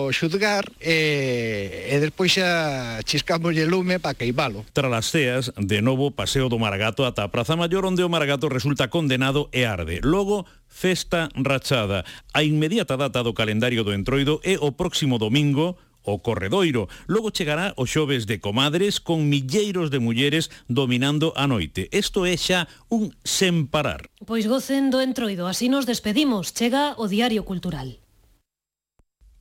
o xudgar e despois xa chiscamos o lume para queimalo. Tras as ceas, de novo paseo do Maragato ata a Praza Maior, onde o Maragato resulta condenado e arde. Logo, festa rachada. A inmediata data do calendario do Entroido é o próximo domingo, o Corredoiro. Logo chegará o xoves de comadres con milleiros de mulleres dominando a noite. Isto é xa un sen parar. Pois gocen do Entroido, así nos despedimos. Chega o Diario Cultural.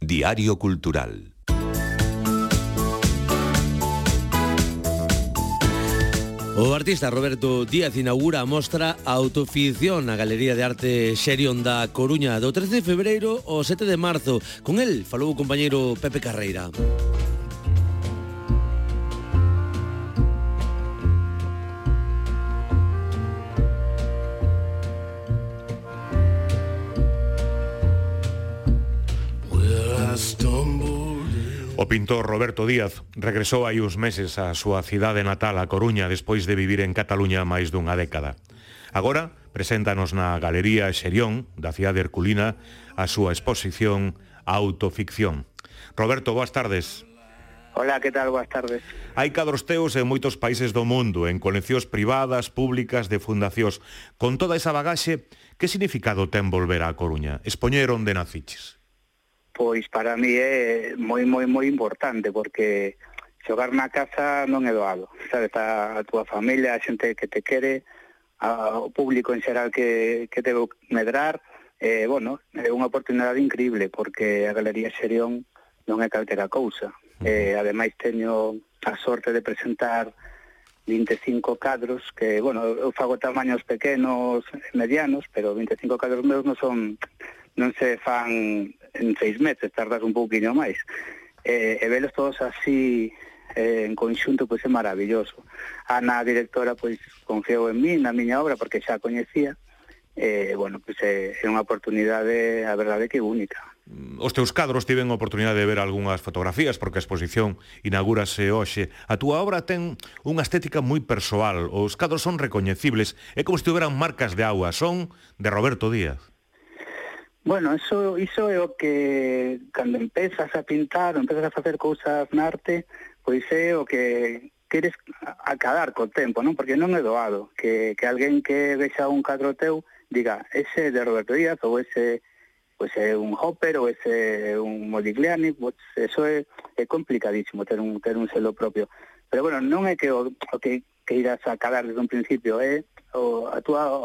Diario Cultural. O artista Roberto Díaz inaugura a mostra Autoficción na Galería de Arte Xerión da Coruña do 13 de febreiro ao 7 de marzo. Con el falou o compañeiro Pepe Carreira. O pintor Roberto Díaz regresou hai uns meses á súa cidade natal, a Coruña, despois de vivir en Cataluña máis dunha década. Agora preséntanos na Galería Xerión da cidade herculina a súa exposición Autoficción. Roberto, boas tardes. Hola, que tal? Boas tardes. Hai cadros teus en moitos países do mundo, en coleccións privadas, públicas, de fundacións. Con toda esa bagaxe, que significado ten volver á Coruña? Expoñer onde naciches? Pois para mí é moi importante, porque xogar na casa non é doado, sabes, a túa familia, a xente que te quere, ao público en xeral que te vou medrar, bueno, é unha oportunidade increíble, porque a Galería Xerión non é calquera cousa. Ademais teño a sorte de presentar 25 cadros, que, bueno, eu fago tamaños pequenos, medianos, pero 25 cadros meus non se fan en 6 meses, tardas un pouquinho máis. E velos todos así en conxunto, pois é maravilloso. Ana, a directora, pois confiou en mí, na miña obra, porque xa a coñecía. Bueno, pois é unha oportunidade, a verdade, que única. Os teus cadros tiven a oportunidade de ver algunhas fotografías, porque a exposición inaugúrase hoxe. A túa obra ten unha estética moi persoal, os cadros son recoñecibles, é como se tiveran marcas de auga, son de Roberto Díaz. Bueno, iso é o que, cando empezas a pintar, ou empezas a facer cousas na arte, pois é o que queres acadar co tempo, non? Porque non é doado que alguén que vexa un cadro teu diga, ese é de Roberto Díaz, ou ese pois é un Hopper, ou ese é un Modigliani, pois eso é complicadísimo ter un selo propio. Pero bueno, non é que o que irás a acadar desde un principio, é o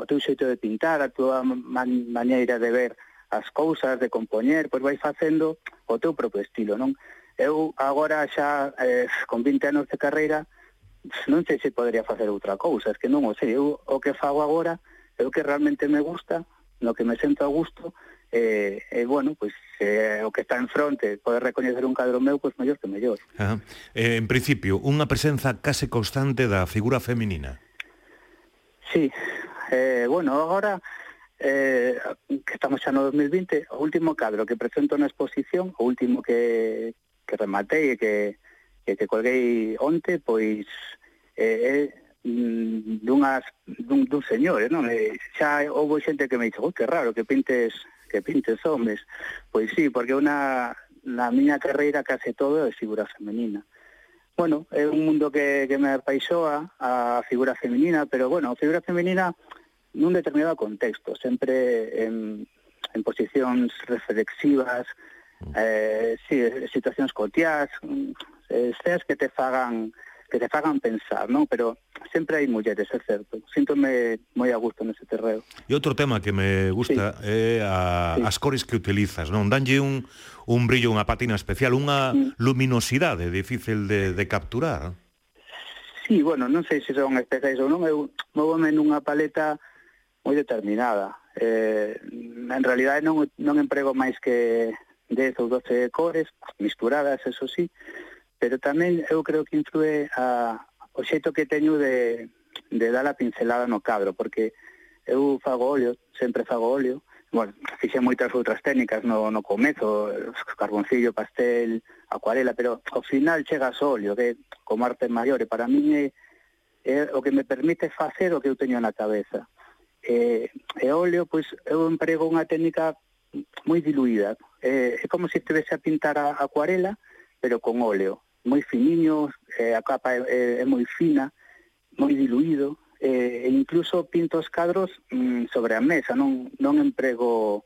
teu xeito de pintar, a túa maneira de ver as cousas, de compoñer, pois vai facendo o teu propio estilo, non? Eu agora xa, con 20 anos de carreira, non sei se podría facer outra cousa, es que non o sei. Eu o que fago agora é o que realmente me gusta, no que me sento a gusto, e bueno, pois o que está en fronte, poder recoñecer un cadro meu, pois mellor que mellor. En principio, unha presenza case constante da figura feminina. Sí, bueno, agora que estamos xa no 2020, o último cadro que presento na exposición, o último que rematei e que colguei onte, pois é dun señor, non? Xa houve xente que me dixo, que raro que pintes homes. Pois sí, porque na miña carreira case todo é figura femenina. Bueno, é un mundo que me apaixoa a figura femenina, pero bueno, a figura femenina nun determinado contexto, sempre en posicións reflexivas, situacións cotiás, seas que te fagan pensar, non? Pero sempre hai mulleres, é certo. Síntome moi a gusto nese terreo. E outro tema que me gusta é as cores que utilizas, non? Danlle un brillo, unha patina especial, unha luminosidade difícil de capturar. Sí, bueno, non sei se son especiais ou non, eu móvome nunha paleta moi determinada. En realidade non emprego máis que 10 ou 12 cores, misturadas, eso sí, pero tamén eu creo que influe o xeito que teño de dar a pincelada no cadro, porque eu fago óleo, sempre fago óleo. Bueno, fixe moitas outras técnicas no comezo, carboncillo, pastel, acuarela, pero ao final chegas ao óleo, que como arte maior, e para min é o que me permite facer o que eu teño na cabeza. E óleo, pois, eu emprego unha técnica moi diluída. É como se estivese a pintar a acuarela, pero con óleo. Moi finiño, a capa é moi fina, moi diluído, e incluso pinto os cadros sobre a mesa, non emprego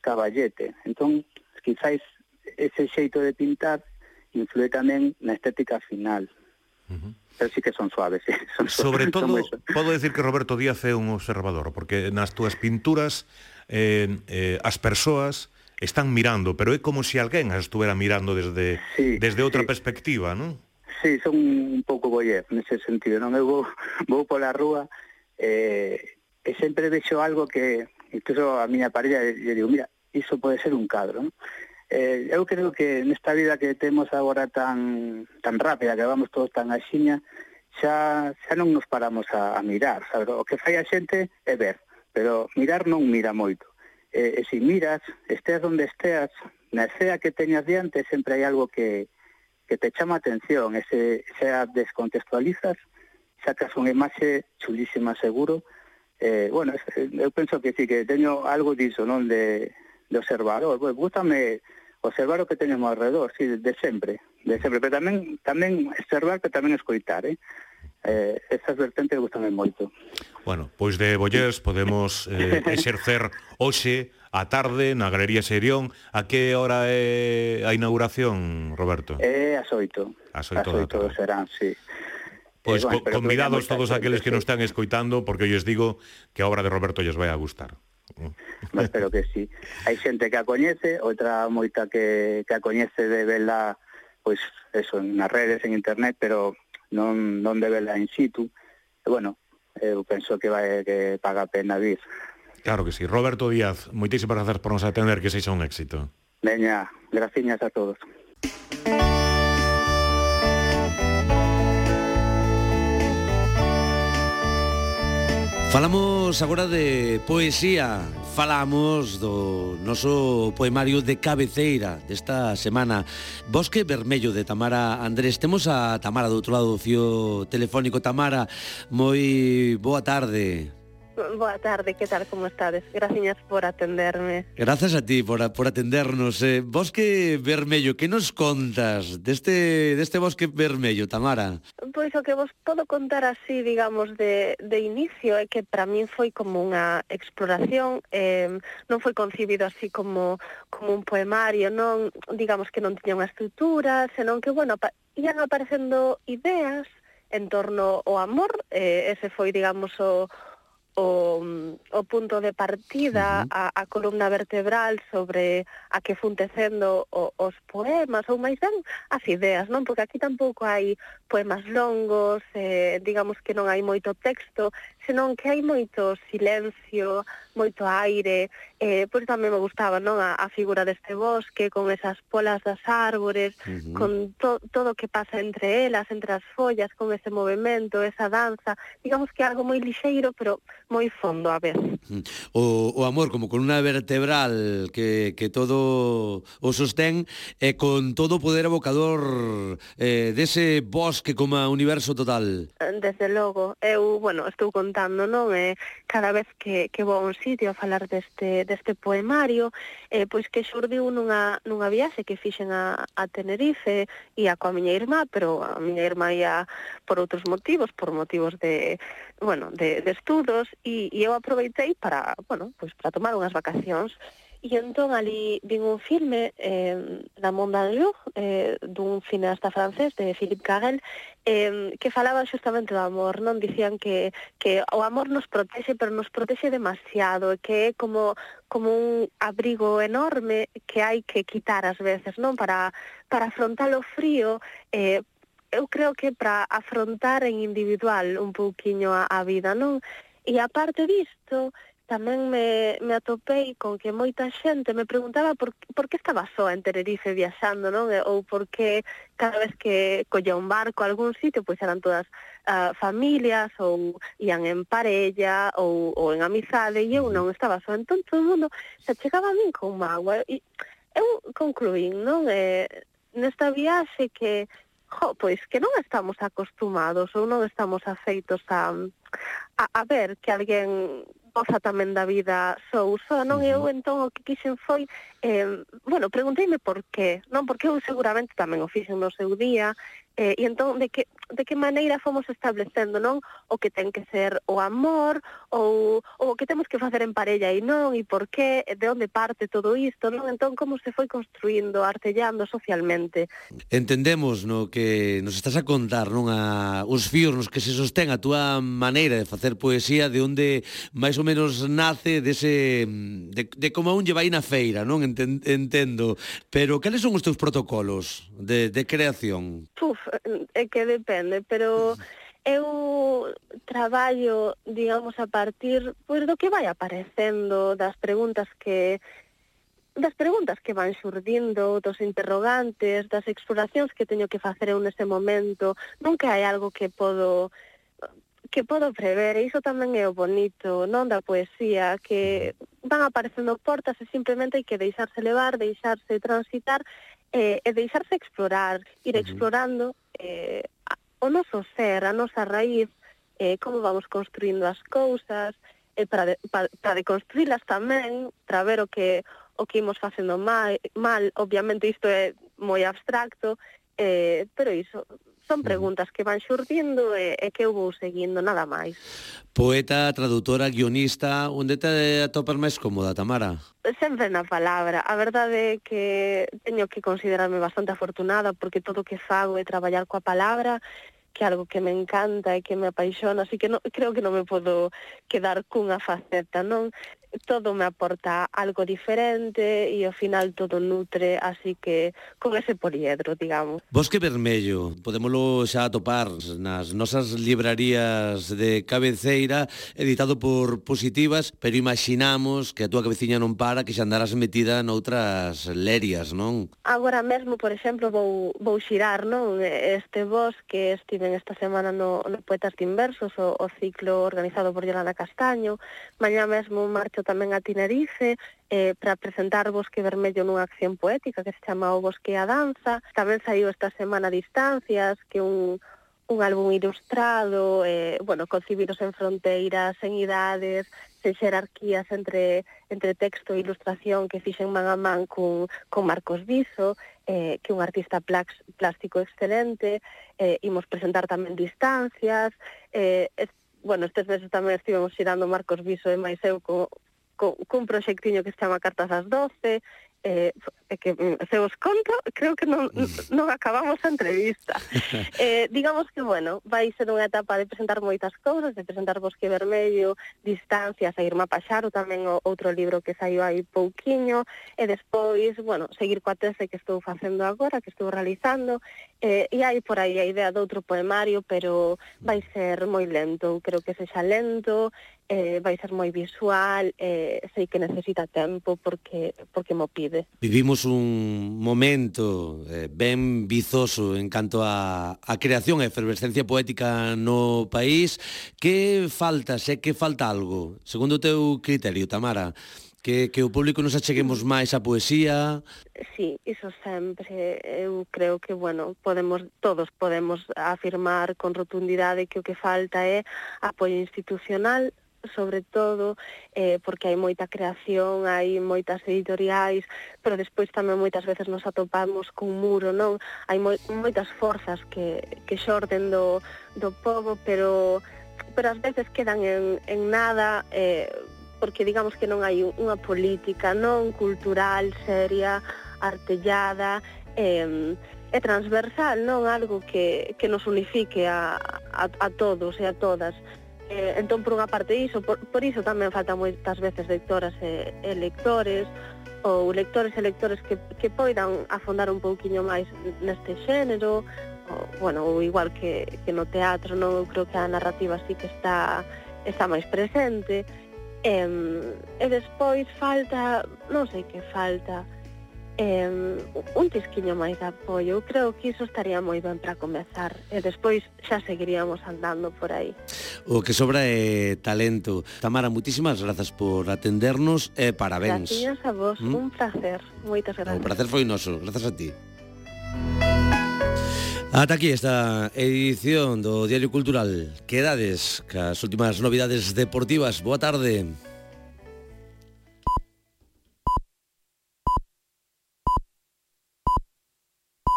caballete. Entón, quizáis ese xeito de pintar influe tamén na estética final. Pero sí que son suaves, sí. Sobre todo, podo decir que Roberto Díaz é un observador, porque nas túas pinturas as persoas están mirando, pero é como se alguén as estuvera mirando desde outra perspectiva, non? Sí, son un pouco voyeur nese sentido, non? Eu vou pola rúa e sempre vexo algo que, incluso a miña parella, lle digo, mira, iso pode ser un cadro, non? Eu creo que nesta vida que temos agora tan rápida, que vamos todos tan axiña, xa non nos paramos a mirar, sabe? O que fai a xente é ver, pero mirar non mira moito. E se miras, esteas onde esteas, na escena que teñas diante, sempre hai algo que te chama a atención, e se a descontextualizas, sacas unha imaxe chulísima seguro. Bueno, eu penso que sí, que teño algo diso, non, de observador. Pues, gústame observar o que teñemos alrededor, sí, de sempre, pero tamén observar, pero tamén escoitar, esas vertentes gústame moito. Bueno, pois de voyeurs podemos exercer hoxe a tarde na Galería Xerión. A que hora é a inauguración, Roberto? É as 8. As 8 da tarde. Serán, sí. Pois convidados todos aqueles que nos están escoitando, porque eu lles digo que a obra de Roberto lles vai a gustar. Espero que sí. Hai xente que a coñece, outra moita que a coñece de verla, pois eso, nas redes, en internet, pero non de verla in situ. E bueno, eu penso que paga a pena vir. Claro que sí. Roberto Díaz, moitísimas grazas por nos atender, que sexa un éxito. Veña, graciñas a todos. Falamos agora de poesía, falamos do noso poemario de cabeceira desta semana, Bosque Vermello, de Tamara Andrés. Temos a Tamara do outro lado do fío telefónico. Tamara, moi boa tarde. Boa tarde, que tal, como estades? Gracias por atenderme. Grazas a ti por atendernos. Bosque Vermello, que nos contas deste Bosque Vermello, Tamara? Pois o que vos podo contar así, digamos, de inicio, é que para min foi como unha exploración, non foi concibido así como un poemario, non, digamos que non tiña unha estrutura, senón que, bueno, ian aparecendo ideas en torno ao amor, ese foi, digamos, o punto de partida, a columna vertebral sobre a que fun tecendo os poemas, ou máis ben as ideas, non? Porque aquí tampouco hai poemas longos, digamos que non hai moito texto, senón que hai moito silencio, moito aire, pois tamén me gustaba, non, a figura deste bosque, con esas polas das árbores, con todo o que pasa entre elas, entre as follas, con ese movimento, esa danza, digamos que algo moi lixeiro, pero moi fondo a vez. O amor como columna vertebral que todo o sostén, e con todo o poder evocador dese bosque como universo total. Desde logo, eu, bueno, estou contando, non? Cada vez que vou a un sitio a falar deste poemario, pois que xurdiu nunha viaxe que fixen a Tenerife, ia coa miña irmá, pero a miña irmá ia por outros motivos, por motivos de estudos, e eu aproveitei para tomar unhas vacacións. E entón ali vin un filme, La Monde en Jour, dun cineasta francés, de Philippe Carrel, que falaba xustamente do amor, non? Dicían que o amor nos protexe, pero nos protexe demasiado, que é como un abrigo enorme que hai que quitar ás veces, non? Para afrontar o frío, eu creo que para afrontar en individual un pouquiño a vida, non? E aparte disto, tamén me atopei con que moita xente me preguntaba por que estaba só en Tenerife viaxando, non? Ou por que cada vez que collía un barco a algún sitio, pois eran todas familias, ou ian en parella, ou en amizade, e eu non estaba só. Entón todo o mundo se chegaba a min con mágoa, e eu concluín, non? Nesta viaxe que pois que non estamos acostumados ou non estamos afeitos a ver que alguén goza tamén da vida só, non? Eu entón o que quixen foi, pregunteime por qué, non? Porque eu seguramente tamén o fixen no seu día, e entón de que maneira fomos establecendo, non? O que ten que ser o amor, ou o que temos que facer en parella e non, e por qué, de onde parte todo isto, non? Entón como se foi construindo, artellando socialmente. Entendemos no que nos estás a contar, non? Os fíos nos que se sostén a túa maneira de facer poesía, de onde máis ou menos nace de como a un lle vai na feira, non? Entendo. Pero cales son os teus protocolos de creación? É que depende, pero eu traballo, digamos, a partir do que vai aparecendo, das preguntas que van xurdindo, dos interrogantes, das exploracións que teño que facer eu nese momento. Nunca hai algo que podo prever, e iso tamén é o bonito, non, da poesía, que van aparecendo portas e simplemente hai que deixarse levar, deixarse transitar e deixarse explorar, ir explorando o noso ser, a nosa raíz, como vamos construindo as cousas, para deconstruílas tamén, para ver o que imos facendo mal, obviamente isto é moi abstracto, pero iso son preguntas que van xurdindo e que eu vou seguindo, nada máis. Poeta, traductora, guionista, onde te atopas máis cómoda, Tamara? Sempre na palabra. A verdade é que teño que considerarme bastante afortunada porque todo o que fago é traballar coa palabra, que é algo que me encanta e que me apaixona, así que creo que non me podo quedar cunha faceta, non? Todo me aporta algo diferente e ao final todo nutre, así que con ese poliedro, digamos. Bosque Vermello, podémolo xa atopar nas nosas librarías de cabeceira, editado por Positivas, pero imaginamos que a túa cabeciña non para, que xa andarás metida noutras lerias, non? Agora mesmo, por exemplo, vou xirar, non? Este bosque, estiven esta semana no Poetas de Inversos, o ciclo organizado por Yolanda Castaño. Mañá mesmo marcho tamén a Tenerife para presentar Bosque Vermello nunha acción poética que se chama O Bosque a Danza. Tamén saiu esta semana Distancias, que é un álbum ilustrado, concibidos en fronteiras, en idades, sen xerarquías entre texto e ilustración, que fixen man a man con Marcos Viso, que é un artista plástico excelente. Imos presentar tamén Distancias. Estes meses tamén estivemos xirando Marcos Viso e máis eu cun proxectiño que se chama Cartas ás 12, que se os conto, creo que non acabamos a entrevista. Digamos que, vai ser unha etapa de presentar moitas cousas, de presentar Bosque Vermello, Distancias, a Irma Paxaro, tamén outro libro que saiu aí pouquiño, e despois, seguir coa tese que estou facendo agora, que estou realizando, e hai por aí a idea de outro poemario, pero vai ser moi lento, creo que sexa lento, vai ser moi visual, sei que necesita tempo porque mo pide. Vivimos un momento ben vizoso en canto a creación e efervescencia poética no país. Que falta, que falta algo, segundo o teu criterio, Tamara? Que o público nos acheguemos máis á poesía? Sí, iso sempre. Eu creo que, todos podemos afirmar con rotundidade que o que falta é apoio institucional, sobre todo porque hai moita creación, hai moitas editoriais, pero despois tamén moitas veces nos atopamos cun muro, non? Hai moitas forzas que xorden do pobo, pero ás veces quedan en nada, porque digamos que non hai unha política non cultural, seria, artellada, e transversal, non? Algo que nos unifique a todos e a todas. Entón, por unha parte iso, por iso tamén faltan moitas veces lectoras e lectores, ou lectores e lectores que poidan afondar un pouquiño máis neste xénero, ou igual que no teatro, non? Eu creo que a narrativa sí que está máis presente, e despois falta, non sei que falta, un tisquiño máis de apoio. Eu creo que iso estaría moi ben para comezar, e despois xa seguiríamos andando por aí. O que sobra é talento. Tamara, muitísimas grazas por atendernos e parabéns. Gracias a vos, un placer, moitas grazas. O placer foi noso, grazas a ti. Ata aquí esta edición do Diario Cultural. Quedades cas últimas novidades deportivas. Boa tarde.